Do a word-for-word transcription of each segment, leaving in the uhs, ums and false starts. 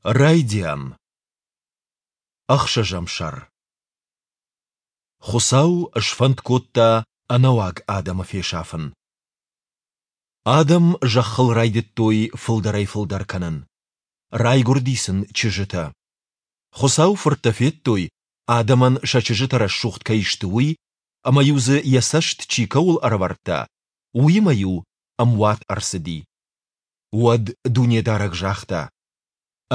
Райдиан. Ӕхсӕзӕм сӕр. Хуыцау сфӕнд кодта ӕнӕуаг адӕмы фесафын. Адӕм зӕххыл райдыдтой фылдӕрӕй-фылдӕр кӕнын. Райгуырди сын чызджытӕ. Хуыцауы фырттӕ федтой, адӕмӕн сӕ чызджытӕ рӕсугъд кӕй сты, уый, ӕмӕ-иу дзы йӕ цӕст чи кӕуыл ӕрӕвӕрдта, уыимӕ-иу ӕмуат ӕрцыди. Уӕд Дунедарӕг загъта: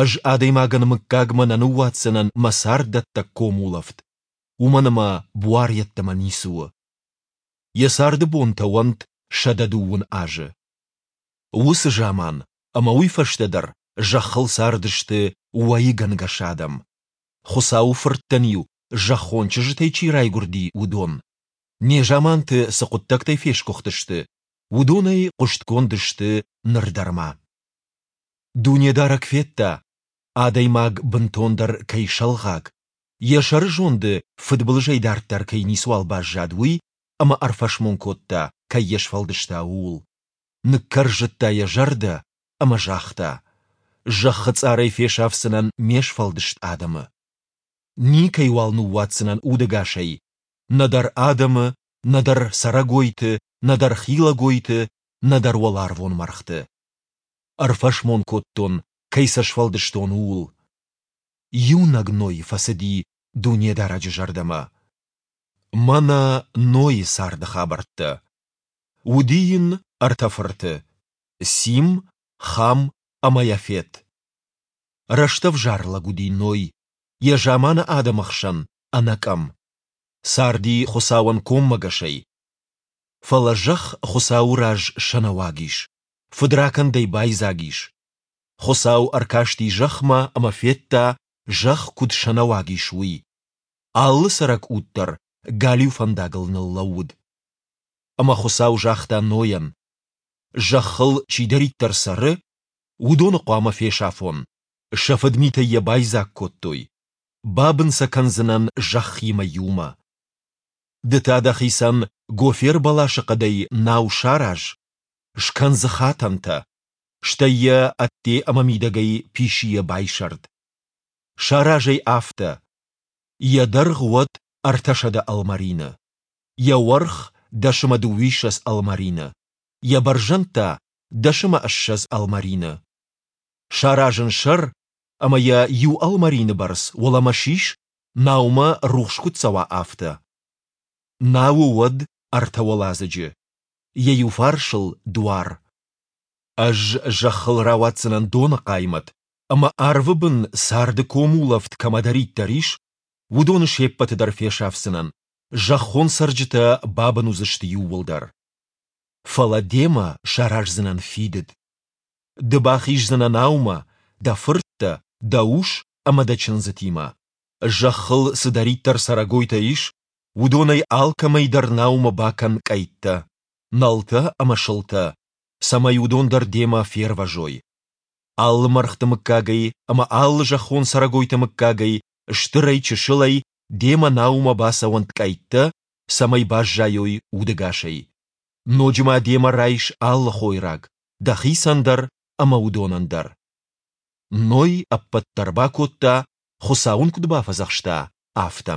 Ӕз адӕймагӕн мыггагмӕ нӕ ныууадздзынӕн мӕ царддӕттӕг комулӕфт, уымӕн ӕмӕ буар йеддӕмӕ ницы у. Йӕ царды бонтӕ уӕнт сӕдӕ дыууын азы. Уыцы заман ӕмӕ уый фӕстӕ дӕр зӕххыл цардысты уӕйыгӕнгӕс адӕм. Хуыцауы фырттӕн-иу зӕххон чызджытӕй чи райгуырди, уыдон, незаманты цы хъуыддӕгтӕй фесгуыхтысты, уыдонӕй хъуыстгонд сты ныр дӕр ма. Дунедарӕг федта, адӕймаг бынтондӕр кӕй сӕлгъаг, йӕ сӕрызонды фыдбылызӕй дарддӕр кӕй ницыуал баззад, уый, ӕмӕ ӕрфӕсмон кодта, кӕй йӕ сфӕлдыста, ууыл. Ныккӕрзыдта йӕ зӕрдӕ ӕмӕ загъта: Зӕххы цъарӕй фесафдзынӕн ме сфӕлдыст адӕмы. Никӕйуал ныууадздзынӕн удӕгасӕй, нӕдӕр адӕмы, нӕдӕр цӕрӕгойты, нӕдӕр хилӕгойты, нӕдӕр уӕларвон мӕргъты. Ӕрфӕсмон кодтон, кӕй сӕ сфӕлдыстон, ууыл. Иунӕг Ной фӕцыди Дунедарӕджы зӕрдӕмӕ. Мӕнӕ Нойы царды хабӕрттӕ. Уыди йын ӕртӕ фырты: Сим, Хам ӕмӕ Яфет. Рӕстӕвзар лӕг уыди Ной, йӕ заманы адӕмы хсӕн ӕнӕкъӕм. Царди Хуыцауӕн коммӕгӕсӕй. Фӕлӕ зӕхх Хуыцауы раз сӕнӕуаг ис, фыдракӕндӕй байдзаг ис. Хуыцау ӕркасти зӕхмӕ ӕмӕ федта, зӕхх куыд сӕнӕуаг ис, уый. Алы цӕрӕг уд дӕр галиу фӕндагыл ныллӕууыд. Ӕмӕ Хуыцау загъта Нойӕн: Зӕххыл чидӕриддӕр цӕры, уыдоны хъуамӕ фесафон. Сӕ фыдмитӕй йӕ байдзаг кодтой. Бабын сӕ кӕндзынӕн зӕххимӕ иумӕ. Ды та дӕхицӕн гофер бӕласы хъӕдӕй нау сараз, скӕн дзы хатӕнтӕ, стӕй йӕ ӕдде ӕмӕ мидӕгӕй писийӕ байсӕрд. Сараз ӕй афтӕ: йӕ дӕргъ уӕд ӕртӕсӕдӕ ӕлмӕрины, йӕ уӕрх дӕс ӕмӕ дыууиссӕдз ӕлмӕрины, йӕ бӕрзӕнд та дӕс ӕмӕ ссӕдз ӕлмӕрины. Сараз ын сӕр ӕмӕ йӕ иу ӕлмӕрины бӕрц уӕлӕмӕ сис, наумӕ рухс куыд цӕуа, афтӕ. Науы уӕд ӕртӕ уӕладзыджы, йӕ иу фарсыл дуар. Ӕз зӕххыл рауадздзынӕн доны хъаймӕт, ӕмӕ арвы бын царды комулӕфт кӕмӕдӕриддӕр ис, уыдоны се ппӕты дӕр фесафдзынӕн, зӕххон цӕрджытӕ бабын уыдзысты иууылдӕр. Фӕлӕ демӕ сараздзынӕн фидыд. Ды бахиздзынӕ наумӕ, дӕ фырттӕ, дӕ ус ӕмӕ дӕ чындзытимӕ. Зӕххыл цыдӕриддӕр цӕрӕгойтӕ ис, уыдонӕй алкӕмӕй дӕр наумӕ бакӕн къӕйттӕ, нӕлтӕ ӕмӕ сылтӕ, цӕмӕй уыдон дӕр демӕ фервӕзой. Алы мӕргъты мыггагӕй ӕмӕ алы зӕххон цӕрӕгойты мыггагӕй, стырӕй-чысылӕй, демӕ наумӕ бацӕуӕнт къӕйттӕ, цӕмӕй баззайой удӕгасӕй. Ноджы ма демӕ райс алы хойраг, дӕхицӕн дӕр ӕмӕ уыдонӕн дӕр. Ной ӕппӕт дӕр бакодта, Хуыцау ын куыд бафӕдзӕхста, афтӕ.